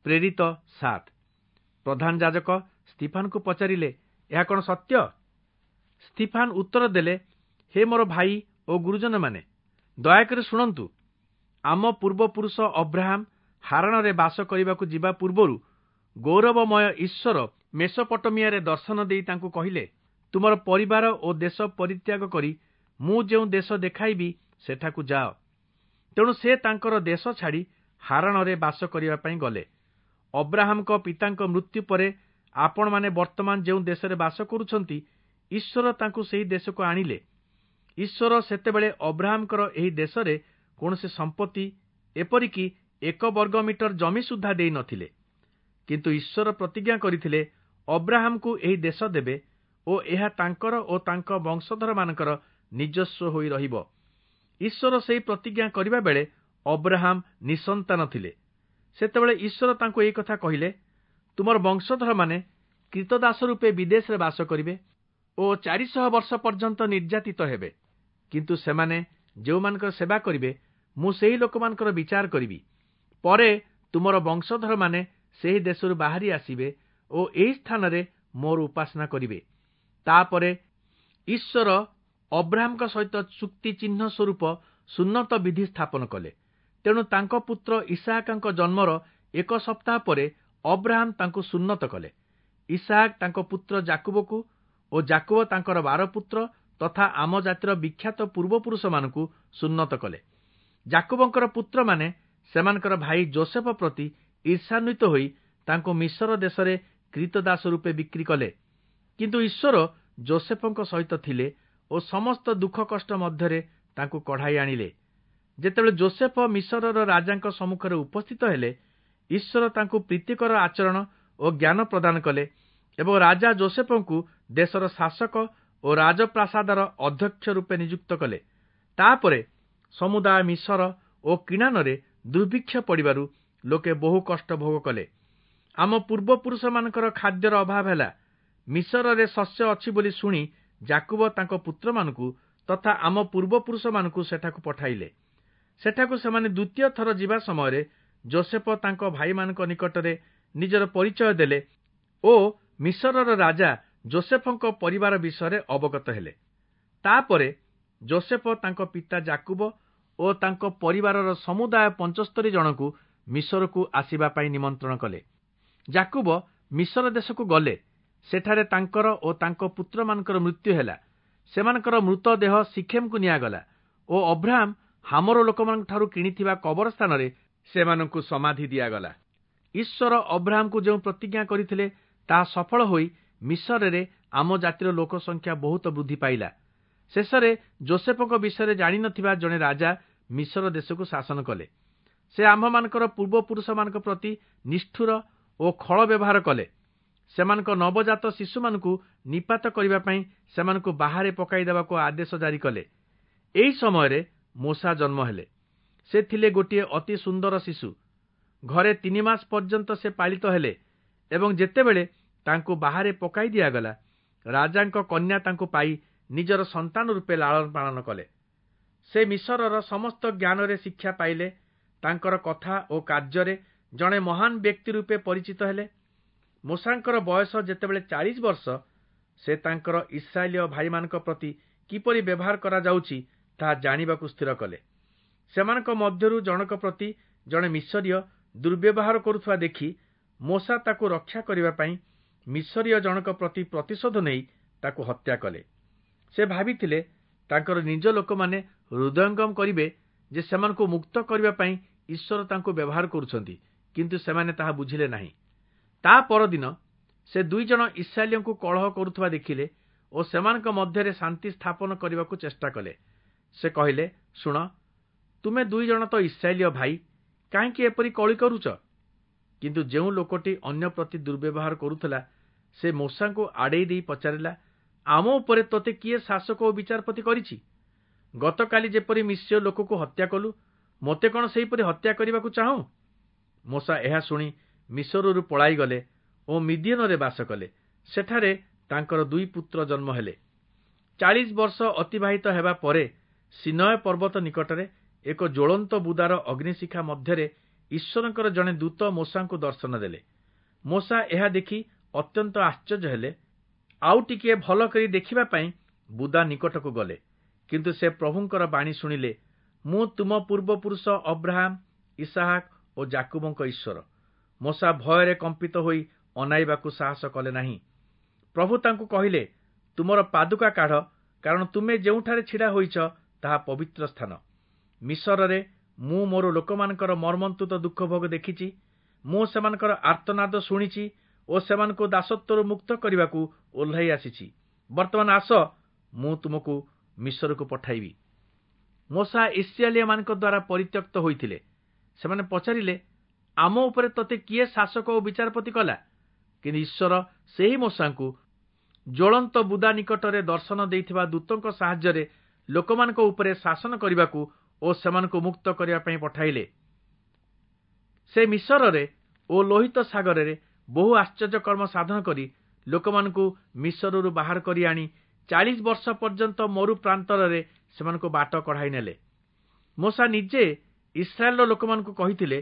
ପ୍ରେରିତ 7। ପ୍ରଧାନ ଯାଜକ ସ୍ତିଫାନକୁ ପଚାରିଲେ, ଏହା କଣ ସତ୍ୟ? ସ୍ତିଫାନ ଉତ୍ତର ଦେଲେ, ହେ ମୋର ଭାଇ ଓ ଗୁରୁଜନମାନେ, ଦୟାକରି ଶୁଣନ୍ତୁ। ଆମ ପୂର୍ବପୁରୁଷ ଅବ୍ରାହମ ହାରଣରେ ବାସ କରିବାକୁ ଯିବା ପୂର୍ବରୁ ଗୌରବମୟ ଈଶ୍ୱର ମେସୋପଟୋମିଆରେ ଦର୍ଶନ ଦେଇ ତାଙ୍କୁ କହିଲେ, ତୁମର ପରିବାର ଓ ଦେଶ ପରିତ୍ୟାଗ କରି ମୁଁ ଯେଉଁ ଦେଶ ଦେଖାଇବି ସେଠାକୁ ଯାଅ। ତେଣୁ ସେ ତାଙ୍କର ଦେଶ ଛାଡ଼ି ହାରଣରେ ବାସ କରିବା ପାଇଁ ଗଲେ। ଅବ୍ରାହମଙ୍କ ପିତାଙ୍କ ମୃତ୍ୟୁ ପରେ ଆପଣମାନେ ବର୍ତ୍ତମାନ ଯେଉଁ ଦେଶରେ ବାସ କରୁଛନ୍ତି, ଈଶ୍ୱର ତାଙ୍କୁ ସେହି ଦେଶକୁ ଆଣିଲେ। ଈଶ୍ୱର ସେତେବେଳେ ଅବ୍ରାହମଙ୍କର ଏହି ଦେଶରେ କୌଣସି ସମ୍ପତ୍ତି, ଏପରିକି 1 ବର୍ଗ ମିଟର ଜମି ସୁଦ୍ଧା ଦେଇନଥିଲେ। କିନ୍ତୁ ଈଶ୍ୱର ପ୍ରତିଜ୍ଞା କରିଥିଲେ ଅବ୍ରାହମଙ୍କୁ ଏହି ଦେଶ ଦେବେ ଓ ଏହା ତାଙ୍କର ଓ ତାଙ୍କ ବଂଶଧରମାନଙ୍କର ନିଜସ୍ୱ ହୋଇ ରହିବ। ଈଶ୍ୱର ସେହି ପ୍ରତିଜ୍ଞା କରିବା ବେଳେ ଅବ୍ରାହମ ନିଃସନ୍ତାନ ଥିଲେ। ସେତେବେଳେ ଈଶ୍ୱର ତାଙ୍କୁ ଏହି କଥା କହିଲେ, ତୁମର ବଂଶଧରମାନେ କ୍ରୀତଦାସ ରୂପେ ବିଦେଶରେ ବାସ କରିବେ ଓ 400 ବର୍ଷ ପର୍ଯ୍ୟନ୍ତ ନିର୍ଯାତିତ ହେବେ। କିନ୍ତୁ ସେମାନେ ଯେଉଁମାନଙ୍କର ସେବା କରିବେ, ମୁଁ ସେହି ଲୋକମାନଙ୍କର ବିଚାର କରିବି। ପରେ ତୁମର ବଂଶଧରମାନେ ସେହି ଦେଶରୁ ବାହାରି ଆସିବେ ଓ ଏହି ସ୍ଥାନରେ ମୋର ଉପାସନା କରିବେ। ତାପରେ ଈଶ୍ୱର ଅବ୍ରାହମଙ୍କ ସହିତ ଚୁକ୍ତି ଚିହ୍ନ ସ୍ୱରୂପ ସୁନ୍ନତ ବିଧି ସ୍ଥାପନ କଲେ। ତେଣୁ ତାଙ୍କ ପୁତ୍ର ଇସାହାକଙ୍କ ଜନ୍ମର 1 ସପ୍ତାହ ପରେ ଅବ୍ରାହମ ତାଙ୍କୁ ସୁନ୍ନତ କଲେ। ଇସାହାକ ତାଙ୍କ ପୁତ୍ର ଯାକୁବକୁ ଓ ଯାକୁବ ତାଙ୍କର 12 ପୁତ୍ର ତଥା ଆମ ଜାତିର ବିଖ୍ୟାତ ପୂର୍ବପୁରୁଷମାନଙ୍କୁ ସୁନ୍ନତ କଲେ। ଯାକୁବଙ୍କର ପୁତ୍ରମାନେ ସେମାନଙ୍କର ଭାଇ ଜୋସେଫ ପ୍ରତି ଈର୍ଷାନ୍ୱିତ ହୋଇ ତାଙ୍କୁ ମିଶର ଦେଶରେ କ୍ରୀତଦାସ ରୂପେ ବିକ୍ରି କଲେ। କିନ୍ତୁ ଈଶ୍ୱର ଜୋସେଫଙ୍କ ସହିତ ଥିଲେ ଓ ସମସ୍ତ ଦୁଃଖ କଷ୍ଟ ମଧ୍ୟରେ ତାଙ୍କୁ କଢ଼ାଇ ଆଣିଲେ। ଯେତେବେଳେ ଜୋସେଫ ମିଶରର ରାଜାଙ୍କ ସମ୍ମୁଖରେ ଉପସ୍ଥିତ ହେଲେ, ଈଶ୍ୱର ତାଙ୍କୁ ପ୍ରୀତିକର ଆଚରଣ ଓ ଜ୍ଞାନ ପ୍ରଦାନ କଲେ ଏବଂ ରାଜା ଜୋସେଫଙ୍କୁ ଦେଶର ଶାସକ ଓ ରାଜପ୍ରାସାଦର ଅଧ୍ୟକ୍ଷ ରୂପେ ନିଯୁକ୍ତ କଲେ। ତାପରେ ସମୁଦାୟ ମିଶର ଓ କିଣାନରେ ଦୁର୍ଭିକ୍ଷ ପଡ଼ିବାରୁ ଲୋକେ ବହୁ କଷ୍ଟ ଭୋଗ କଲେ। ଆମ ପୂର୍ବପୁରୁଷମାନଙ୍କର ଖାଦ୍ୟର ଅଭାବ ହେଲା। ମିଶରରେ ଶସ୍ୟ ଅଛି ବୋଲି ଶୁଣି ଯାକୁବ ତାଙ୍କ ପୁତ୍ରମାନଙ୍କୁ ତଥା ଆମ ପୂର୍ବପୁରୁଷମାନଙ୍କୁ ସେଠାକୁ ପଠାଇଲେ। ସେଠାକୁ ସେମାନେ ଦ୍ୱିତୀୟ ଥର ଯିବା ସମୟରେ ଜୋସେଫ ତାଙ୍କ ଭାଇମାନଙ୍କ ନିକଟରେ ନିଜର ପରିଚୟ ଦେଲେ ଓ ମିଶରର ରାଜା ଜୋସେଫଙ୍କ ପରିବାର ବିଷୟରେ ଅବଗତ ହେଲେ। ତାପରେ ଜୋସେଫ ତାଙ୍କ ପିତା ଯାକୁବ ଓ ତାଙ୍କ ପରିବାରର ସମୁଦାୟ 75 ଜଣଙ୍କୁ ମିଶରକୁ ଆସିବା ପାଇଁ ନିମନ୍ତ୍ରଣ କଲେ। ଯାକୁବ ମିଶର ଦେଶକୁ ଗଲେ। ସେଠାରେ ତାଙ୍କର ଓ ତାଙ୍କ ପୁତ୍ରମାନଙ୍କର ମୃତ୍ୟୁ ହେଲା। ସେମାନଙ୍କର ମୃତଦେହ ସିଖେମକୁ ନିଆଗଲା ଓ ଅବ୍ରାହମ ହାମର ଲୋକମାନଙ୍କଠାରୁ କିଣିଥିବା କବର ସ୍ଥାନରେ ସେମାନଙ୍କୁ ସମାଧି ଦିଆଗଲା। ଈଶ୍ୱର ଅବ୍ରାହମକୁ ଯେଉଁ ପ୍ରତିଜ୍ଞା କରିଥିଲେ ତାହା ସଫଳ ହୋଇ ମିଶରରେ ଆମ ଜାତିର ଲୋକ ସଂଖ୍ୟା ବହୁତ ବୃଦ୍ଧି ପାଇଲା। ଶେଷରେ ଜୋସେଫଙ୍କ ବିଷୟରେ ଜାଣିନଥିବା ଜଣେ ରାଜା ମିଶର ଦେଶକୁ ଶାସନ କଲେ। ସେ ଆମ୍ଭମାନଙ୍କର ପୂର୍ବପୁରୁଷମାନଙ୍କ ପ୍ରତି ନିଷ୍ଠୁର ଓ ଖଳ ବ୍ୟବହାର କଲେ। ସେମାନଙ୍କ ନବଜାତ ଶିଶୁମାନଙ୍କୁ ନିପାତ କରିବା ପାଇଁ ସେମାନଙ୍କୁ ବାହାରେ ପକାଇ ଦେବାକୁ ଆଦେଶ ଜାରି କଲେ। ଏହି ସମୟରେ ମୋଶା ଜନ୍ମ ହେଲେ। ସେ ଥିଲେ ଗୋଟିଏ ଅତି ସୁନ୍ଦର ଶିଶୁ। ଘରେ 3 ମାସ ପର୍ଯ୍ୟନ୍ତ ସେ ପାଳିତ ହେଲେ ଏବଂ ଯେତେବେଳେ ତାଙ୍କୁ ବାହାରେ ପକାଇ ଦିଆଗଲା, ରାଜାଙ୍କ କନ୍ୟା ତାଙ୍କୁ ପାଇ ନିଜର ସନ୍ତାନ ରୂପେ ଲାଳନ ପାଳନ କଲେ। ସେ ମିଶରର ସମସ୍ତ ଜ୍ଞାନରେ ଶିକ୍ଷା ପାଇଲେ। ତାଙ୍କର କଥା ଓ କାର୍ଯ୍ୟରେ ଜଣେ ମହାନ ବ୍ୟକ୍ତି ରୂପେ ପରିଚିତ ହେଲେ। ମୋଶାଙ୍କର ବୟସ ଯେତେବେଳେ 40 ବର୍ଷ, ସେ ତାଙ୍କର ଇସ୍ରାଏଲୀୟ ଭାଇମାନଙ୍କ ପ୍ରତି କିପରି ବ୍ୟବହାର କରାଯାଉଛି ତାହା ଜାଣିବାକୁ ସ୍ଥିର କଲେ। ସେମାନଙ୍କ ମଧ୍ୟରୁ ଜଣକ ପ୍ରତି ଜଣେ ମିଶରୀୟ ଦୁର୍ବ୍ୟବହାର କରୁଥିବା ଦେଖି ମୋଶା ତାକୁ ରକ୍ଷା କରିବା ପାଇଁ ମିଶରୀୟ ଜଣକ ପ୍ରତି ପ୍ରତିଶୋଧ ନେଇ ତାକୁ ହତ୍ୟା କଲେ। ସେ ଭାବିଥିଲେ ତାଙ୍କର ନିଜ ଲୋକମାନେ ହୃଦୟଙ୍ଗମ କରିବେ ଯେ ସେମାନଙ୍କୁ ମୁକ୍ତ କରିବା ପାଇଁ ଈଶ୍ୱର ତାଙ୍କୁ ବ୍ୟବହାର କରୁଛନ୍ତି, କିନ୍ତୁ ସେମାନେ ତାହା ବୁଝିଲେ ନାହିଁ। ତା ପରଦିନ ସେ 2 ଜଣ ଇସ୍ରାଏଲୀୟଙ୍କୁ କଳହ କରୁଥିବା ଦେଖିଲେ ଓ ସେମାନଙ୍କ ମଧ୍ୟରେ ଶାନ୍ତି ସ୍ଥାପନ କରିବାକୁ ଚେଷ୍ଟା କଲେ। ସେ କହିଲେ, ଶୁଣ, ତୁମେ 2 ଜଣ ତ ଇସ୍ରାଏଲୀୟ ଭାଇ, କାହିଁକି ଏପରି କଳି କରୁଛ? କିନ୍ତୁ ଯେଉଁ ଲୋକଟି ଅନ୍ୟ ପ୍ରତି ଦୁର୍ବ୍ୟବହାର କରୁଥିଲା, ସେ ମୋଶାଙ୍କୁ ଆଡ଼େଇ ଦେଇ ପଚାରିଲା, ଆମ ଉପରେ ତୋତେ କିଏ ଶାସକ ଓ ବିଚାରପତି କରିଛି? ଗତକାଲି ଯେପରି ମିଶ୍ରୀୟ ଲୋକକୁ ହତ୍ୟା କଲୁ, ମୋତେ କ'ଣ ସେହିପରି ହତ୍ୟା କରିବାକୁ ଚାହୁଁ? ମୋଶା ଏହା ଶୁଣି ମିଶରରୁ ପଳାଇଗଲେ ଓ ମିଦିୟନରେ ବାସ କଲେ। ସେଠାରେ ତାଙ୍କର 2 ପୁତ୍ର ଜନ୍ମ ହେଲେ। 40 ବର୍ଷ ଅତିବାହିତ ହେବା ପରେ ସିନୟ ପର୍ବତ ନିକଟରେ ଏକ ଜ୍ୱଳନ୍ତ ବୁଦାର ଅଗ୍ନିଶିଖା ମଧ୍ୟରେ ଈଶ୍ୱରଙ୍କର ଜଣେ ଦୂତ ମୋଶାଙ୍କୁ ଦର୍ଶନ ଦେଲେ। ମୋଶା ଏହା ଦେଖି ଅତ୍ୟନ୍ତ ଆଶ୍ଚର୍ଯ୍ୟ ହେଲେ। ଆଉ ଟିକିଏ ଭଲ କରି ଦେଖିବା ପାଇଁ ବୁଦା ନିକଟକୁ ଗଲେ। କିନ୍ତୁ ସେ ପ୍ରଭୁଙ୍କର ବାଣୀ ଶୁଣିଲେ, ମୁଁ ତୁମ ପୂର୍ବପୁରୁଷ ଅବ୍ରାହମ, ଇସାହାକ ଓ ଯାକୁବଙ୍କ ଈଶ୍ୱର। ମୋଶା ଭୟରେ କମ୍ପିତ ହୋଇ ଅନାଇବାକୁ ସାହସ କଲେ ନାହିଁ। ପ୍ରଭୁ ତାଙ୍କୁ କହିଲେ, ତୁମର ପାଦୁକା କାଢ଼, କାରଣ ତୁମେ ଯେଉଁଠାରେ ଛିଡ଼ା ହୋଇଛ ତାହା ପବିତ୍ର ସ୍ଥାନ। ମିଶରରେ ମୁଁ ମୋର ଲୋକମାନଙ୍କର ମର୍ମନ୍ତୁଦ ଦୁଃଖ ଭୋଗ ଦେଖିଛି। ମୁଁ ସେମାନଙ୍କର ଆର୍ତ୍ତନାଦ ଶୁଣିଛି ଓ ସେମାନଙ୍କୁ ଦାସତ୍ୱରୁ ମୁକ୍ତ କରିବାକୁ ଓହ୍ଲାଇ ଆସିଛି। ବର୍ତ୍ତମାନ ଆସ, ମୁଁ ତୁମକୁ ମିଶରକୁ ପଠାଇବି। ମୋଶା ଇସ୍ରାଏଲୀୟମାନଙ୍କ ଦ୍ୱାରା ପରିତ୍ୟକ୍ତ ହୋଇଥିଲେ। ସେମାନେ ପଚାରିଲେ, ଆମ ଉପରେ ତୋତେ କିଏ ଶାସକ ଓ ବିଚାରପତି କଲା? କିନ୍ତୁ ଈଶ୍ୱର ସେହି ମୋଶାଙ୍କୁ ଜ୍ୱଳନ୍ତ ବୁଦା ନିକଟରେ ଦର୍ଶନ ଦେଇଥିବା ଦୂତଙ୍କ ସାହାଯ୍ୟରେ ଲୋକମାନଙ୍କ ଉପରେ ଶାସନ କରିବାକୁ ଓ ସେମାନଙ୍କୁ ମୁକ୍ତ କରିବା ପାଇଁ ପଠାଇଲେ। ସେ ମିଶରରେ ଓ ଲୋହିତ ସାଗରରେ ବହୁ ଆଶ୍ଚର୍ଯ୍ୟ କର୍ମ ସାଧନ କରି ଲୋକମାନଙ୍କୁ ମିଶରରୁ ବାହାର କରି ଆଣି 40 ବର୍ଷ ପର୍ଯ୍ୟନ୍ତ ମରୁ ପ୍ରାନ୍ତରରେ ସେମାନଙ୍କୁ ବାଟ କଢ଼ାଇ ନେଲେ। ମୋଶା ନିଜେ ଇସ୍ରାଏଲର ଲୋକମାନଙ୍କୁ କହିଥିଲେ,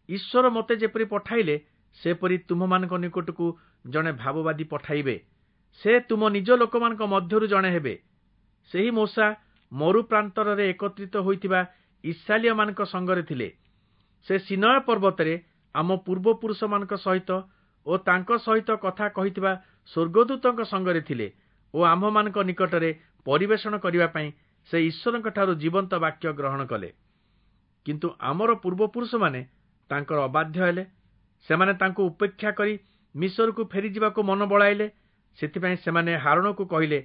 ଈଶ୍ୱର ମୋତେ ଯେପରି ପଠାଇଲେ ସେପରି ତୁମ୍ଭମାନଙ୍କ ନିକଟକୁ ଜଣେ ଭାବବାଦୀ ପଠାଇବେ। ସେ ତୁମ ନିଜ ଲୋକମାନଙ୍କ ମଧ୍ୟରୁ ଜଣେ ହେବେ। ସେହି ମୋଶା ମରୁ ପ୍ରାନ୍ତରରେ ଏକତ୍ରିତ ହୋଇଥିବା ଇସ୍ରାଏଲୀୟମାନଙ୍କ ସଙ୍ଗରେ ଥିଲେ। ସେ ସିନୟ ପର୍ବତରେ ଆମ ପୂର୍ବପୁରୁଷମାନଙ୍କ ସହିତ ଓ ତାଙ୍କ ସହିତ କଥା କହିଥିବା ସ୍ୱର୍ଗଦୂତଙ୍କ ସଙ୍ଗରେ ଥିଲେ ଓ ଆମ୍ଭମାନଙ୍କ ନିକଟରେ ପରିବେଷଣ କରିବା ପାଇଁ ସେ ଈଶ୍ୱରଙ୍କଠାରୁ ଜୀବନ୍ତ ବାକ୍ୟ ଗ୍ରହଣ କଲେ। କିନ୍ତୁ ଆମର ପୂର୍ବପୁରୁଷମାନେ ତାଙ୍କର ଅବାଧ୍ୟ ହେଲେ। ସେମାନେ ତାଙ୍କୁ ଉପେକ୍ଷା କରି ମିଶରକୁ ଫେରିଯିବାକୁ ମନ ବଳାଇଲେ। ସେଥିପାଇଁ ସେମାନେ ହାରୋଣକୁ କହିଲେ,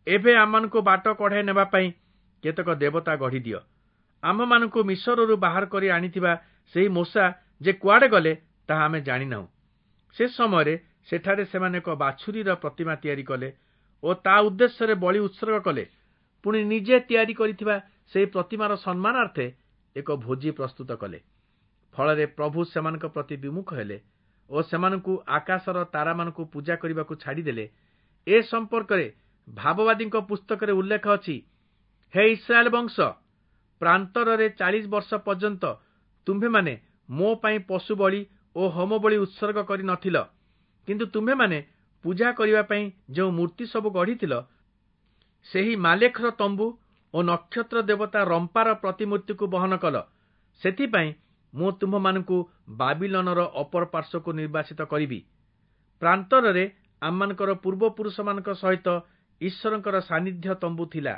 ଏବେ ଆମମାନଙ୍କୁ ବାଟ କଢ଼ାଇ ନେବା ପାଇଁ କେତେକ ଦେବତା ଗଢ଼ିଦିଅ। ଆମ୍ଭମାନଙ୍କୁ ମିଶରରୁ ବାହାର କରି ଆଣିଥିବା ସେହି ମୋଶା ଯେ କୁଆଡ଼େ ଗଲେ ତାହା ଆମେ ଜାଣିନାହୁଁ। ସେ ସମୟରେ ସେଠାରେ ସେମାନେ ଏକ ବାଛୁରୀର ପ୍ରତିମା ତିଆରି କଲେ ଓ ତା ଉଦ୍ଦେଶ୍ୟରେ ବଳି ଉତ୍ସର୍ଗ କଲେ। ପୁଣି ନିଜେ ତିଆରି କରିଥିବା ସେହି ପ୍ରତିମାର ସମ୍ମାନାର୍ଥେ ଏକ ଭୋଜି ପ୍ରସ୍ତୁତ କଲେ। ଫଳରେ ପ୍ରଭୁ ସେମାନଙ୍କ ପ୍ରତି ବିମୁଖ ହେଲେ ଓ ସେମାନଙ୍କୁ ଆକାଶର ତାରାମାନଙ୍କୁ ପୂଜା କରିବାକୁ ଛାଡ଼ିଦେଲେ। ଏ ସମ୍ପର୍କରେ ଭାବବାଦୀଙ୍କ ପୁସ୍ତକରେ ଉଲ୍ଲେଖ ଅଛି, ହେ ଇସ୍ରାଏଲ ବଂଶ, ପ୍ରାନ୍ତରରେ 40 ବର୍ଷ ପର୍ଯ୍ୟନ୍ତ ତୁମ୍ଭେମାନେ ମୋ ପାଇଁ ପଶୁ ବଳି ଓ ହୋମ ବଳି ଉତ୍ସର୍ଗ କରି ନଥିଲ। କିନ୍ତୁ ତୁମ୍ଭେମାନେ ପୂଜା କରିବା ପାଇଁ ଯେଉଁ ମୂର୍ତ୍ତି ସବୁ ଗଢ଼ିଥିଲ, ସେହି ମାଲେଖର ତମ୍ବୁ ଓ ନକ୍ଷତ୍ର ଦେବତା ରମ୍ପାର ପ୍ରତିମୂର୍ତ୍ତିକୁ ବହନ କଲ। ସେଥିପାଇଁ ମୁଁ ତୁମ୍ଭମାନଙ୍କୁ ବାବିଲନର ଅପର ପାର୍ଶ୍ୱକୁ ନିର୍ବାସିତ କରିବି। ପ୍ରାନ୍ତରରେ ଆମମାନଙ୍କର ପୂର୍ବପୁରୁଷମାନଙ୍କ ସହିତ ଈଶ୍ୱରଙ୍କର ସାନ୍ନିଧ୍ୟ ତମ୍ବୁ ଥିଲା।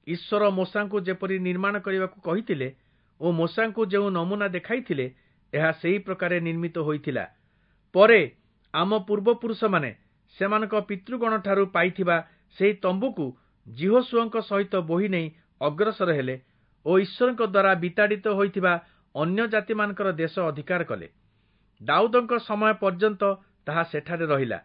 ଈଶ୍ୱର ମୋଶାଙ୍କୁ ଯେପରି ନିର୍ମାଣ କରିବାକୁ କହିଥିଲେ ଓ ମୋଶାଙ୍କୁ ଯେଉଁ ନମୁନା ଦେଖାଇଥିଲେ, ଏହା ସେହି ପ୍ରକାରେ ନିର୍ମିତ ହୋଇଥିଲା। ପରେ ଆମ ପୂର୍ବପୁରୁଷମାନେ ସେମାନଙ୍କ ପିତୃଗଣଠାରୁ ପାଇଥିବା ସେହି ତମ୍ବୁକୁ ଯିହୋଶୂୟଙ୍କ ସହିତ ବୋହି ନେଇ ଅଗ୍ରସର ହେଲେ ଓ ଈଶ୍ୱରଙ୍କ ଦ୍ୱାରା ବିତାଡ଼ିତ ହୋଇଥିବା ଅନ୍ୟ ଜାତିମାନଙ୍କର ଦେଶ ଅଧିକାର କଲେ। ଦାଉଦଙ୍କ ସମୟ ପର୍ଯ୍ୟନ୍ତ ତାହା ସେଠାରେ ରହିଲା।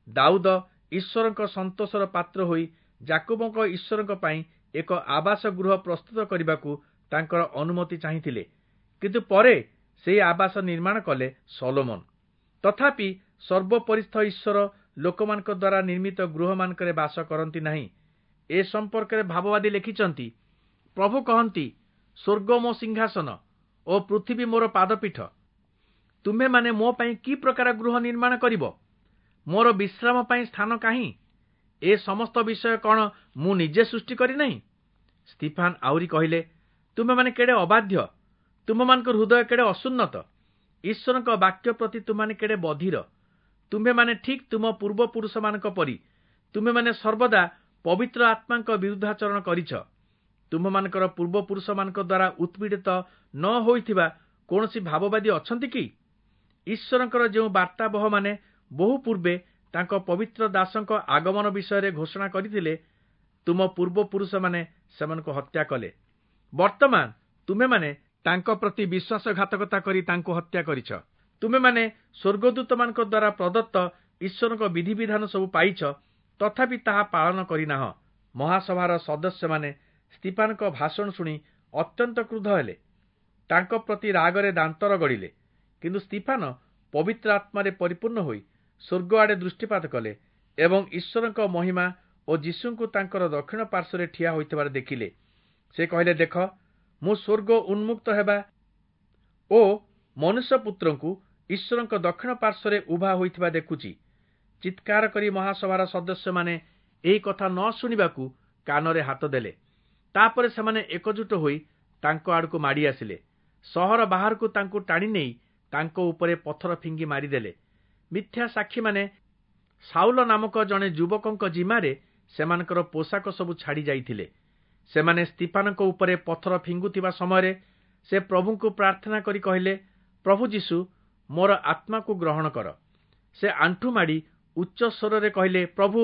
ଦାଉଦ ଈଶ୍ୱରଙ୍କ ସନ୍ତୋଷର ପାତ୍ର ହୋଇ ଯାକୁବଙ୍କ ଈଶ୍ୱରଙ୍କ ପାଇଁ ଏକ ଆବାସ ଗୃହ ପ୍ରସ୍ତୁତ କରିବାକୁ ତାଙ୍କର ଅନୁମତି ଚାହିଁଥିଲେ। କିନ୍ତୁ ପରେ ସେହି ଆବାସ ନିର୍ମାଣ କଲେ ସଲୋମନ। ତଥାପି ସର୍ବୋପରିସ୍ଥ ଈଶ୍ୱର ଲୋକମାନଙ୍କ ଦ୍ୱାରା ନିର୍ମିତ ଗୃହମାନଙ୍କରେ ବାସ କରନ୍ତି ନାହିଁ। ଏ ସମ୍ପର୍କରେ ଭାବବାଦୀ ଲେଖିଛନ୍ତି, ପ୍ରଭୁ କହନ୍ତି, ସ୍ୱର୍ଗ ମୋ ସିଂହାସନ ଓ ପୃଥିବୀ ମୋର ପାଦପୀଠ। ତୁମ୍ଭେମାନେ ମୋ ପାଇଁ କି ପ୍ରକାର ଗୃହ ନିର୍ମାଣ କରିବ? ମୋର ବିଶ୍ରାମ ପାଇଁ ସ୍ଥାନ କାହିଁ? ଏ ସମସ୍ତ ବିଷୟ କ'ଣ ମୁଁ ନିଜେ ସୃଷ୍ଟି କରିନାହିଁ? ସ୍ତିଫାନ ଆହୁରି କହିଲେ, ତୁମ୍ଭେମାନେ କେଡ଼େ ଅବାଧ୍ୟ, ତୁମ୍ଭମାନଙ୍କ ହୃଦୟ କେଡ଼େ ଅସୁନ୍ନତ, ଈଶ୍ୱରଙ୍କ ବାକ୍ୟ ପ୍ରତି ତୁମ୍ଭେମାନେ କେଡ଼େ ବଧିର। ତୁମ୍ଭେମାନେ ଠିକ୍ ତୁମ ପୂର୍ବପୁରୁଷମାନଙ୍କ ପରି ତୁମ୍ଭେମାନେ ସର୍ବଦା ପବିତ୍ର ଆତ୍ମାଙ୍କ ବିରୁଦ୍ଧାଚରଣ କରିଛ। ତୁମ୍ଭମାନଙ୍କର ପୂର୍ବପୁରୁଷମାନଙ୍କ ଦ୍ୱାରା ଉତ୍ପୀଡ଼ିତ ନ ହୋଇଥିବା କୌଣସି ଭାବବାଦୀ ଅଛନ୍ତି କି? ଈଶ୍ୱରଙ୍କର ଯେଉଁ ବାର୍ତ୍ତାବହମାନେ ବହୁ ପୂର୍ବେ ତାଙ୍କ ପବିତ୍ର ଦାସଙ୍କ ଆଗମନ ବିଷୟରେ ଘୋଷଣା କରିଥିଲେ, ତୁମ ପୂର୍ବପୁରୁଷମାନେ ସେମାନଙ୍କୁ ହତ୍ୟା କଲେ। ବର୍ତ୍ତମାନ ତୁମେମାନେ ତାଙ୍କ ପ୍ରତି ବିଶ୍ୱାସଘାତକତା କରି ତାଙ୍କୁ ହତ୍ୟା କରିଛ। ତୁମେମାନେ ସ୍ୱର୍ଗଦୂତମାନଙ୍କ ଦ୍ୱାରା ପ୍ରଦତ୍ତ ଈଶ୍ୱରଙ୍କ ବିଧିବିଧାନ ସବୁ ପାଇଛ, ତଥାପି ତାହା ପାଳନ କରିନାହଁ। ମହାସଭାର ସଦସ୍ୟମାନେ ସ୍ତିଫାନଙ୍କ ଭାଷଣ ଶୁଣି ଅତ୍ୟନ୍ତ କ୍ରୁଦ୍ଧ ହେଲେ। ତାଙ୍କ ପ୍ରତି ରାଗରେ ଦାନ୍ତ ରଗଡ଼ିଲେ। କିନ୍ତୁ ସ୍ତିଫାନ ପବିତ୍ର ଆତ୍ମାରେ ପରିପୂର୍ଣ୍ଣ ହୋଇ ସ୍ୱର୍ଗ ଆଡ଼େ ଦୃଷ୍ଟିପାତ କଲେ ଏବଂ ଈଶ୍ୱରଙ୍କ ମହିମା ଓ ଯୀଶୁଙ୍କୁ ତାଙ୍କର ଦକ୍ଷିଣ ପାର୍ଶ୍ୱରେ ଠିଆ ହୋଇଥିବାର ଦେଖିଲେ। ସେ କହିଲେ, ଦେଖ, ମୁଁ ସ୍ୱର୍ଗ ଉନ୍ମୁକ୍ତ ହେବା ଓ ମନୁଷ୍ୟପୁତ୍ରଙ୍କୁ ଈଶ୍ୱରଙ୍କ ଦକ୍ଷିଣ ପାର୍ଶ୍ୱରେ ଉଭା ହୋଇଥିବା ଦେଖୁଛି। ଚିତ୍କାର କରି ମହାସଭାର ସଦସ୍ୟମାନେ ଏହି କଥା ନ ଶୁଣିବାକୁ କାନରେ ହାତ ଦେଲେ। ତା'ପରେ ସେମାନେ ଏକଜୁଟ ହୋଇ ତାଙ୍କ ଆଡ଼କୁ ମାଡ଼ି ଆସିଲେ। ସହର ବାହାରକୁ ତାଙ୍କୁ ଟାଣି ନେଇ ତାଙ୍କ ଉପରେ ପଥର ଫିଙ୍ଗି ମାରିଦେଲେ। ମିଥ୍ୟା ସାକ୍ଷୀମାନେ ସାଉଲ ନାମକ ଜଣେ ଯୁବକଙ୍କ ଜିମାରେ ସେମାନଙ୍କର ପୋଷାକ ସବୁ ଛାଡ଼ି ଯାଇଥିଲେ। ସେମାନେ ସ୍ତିଫାନଙ୍କ ଉପରେ ପଥର ଫିଙ୍ଗୁଥିବା ସମୟରେ ସେ ପ୍ରଭୁଙ୍କୁ ପ୍ରାର୍ଥନା କରି କହିଲେ, ପ୍ରଭୁ ଯୀଶୁ, ମୋର ଆତ୍ମାକୁ ଗ୍ରହଣ କର। ସେ ଆଣ୍ଠୁ ମାଡ଼ି ଉଚ୍ଚ ସ୍ୱରରେ କହିଲେ, ପ୍ରଭୁ,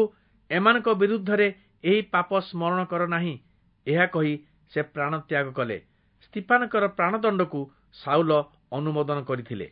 ଏମାନଙ୍କ ବିରୁଦ୍ଧରେ ଏହି ପାପ ସ୍ମରଣ କର ନାହିଁ। ଏହା କହି ସେ ପ୍ରାଣତ୍ୟାଗ କଲେ। ସ୍ତିଫାନଙ୍କର ପ୍ରାଣଦଣ୍ଡକୁ ସାଉଲ ଅନୁମୋଦନ କରିଥିଲେ।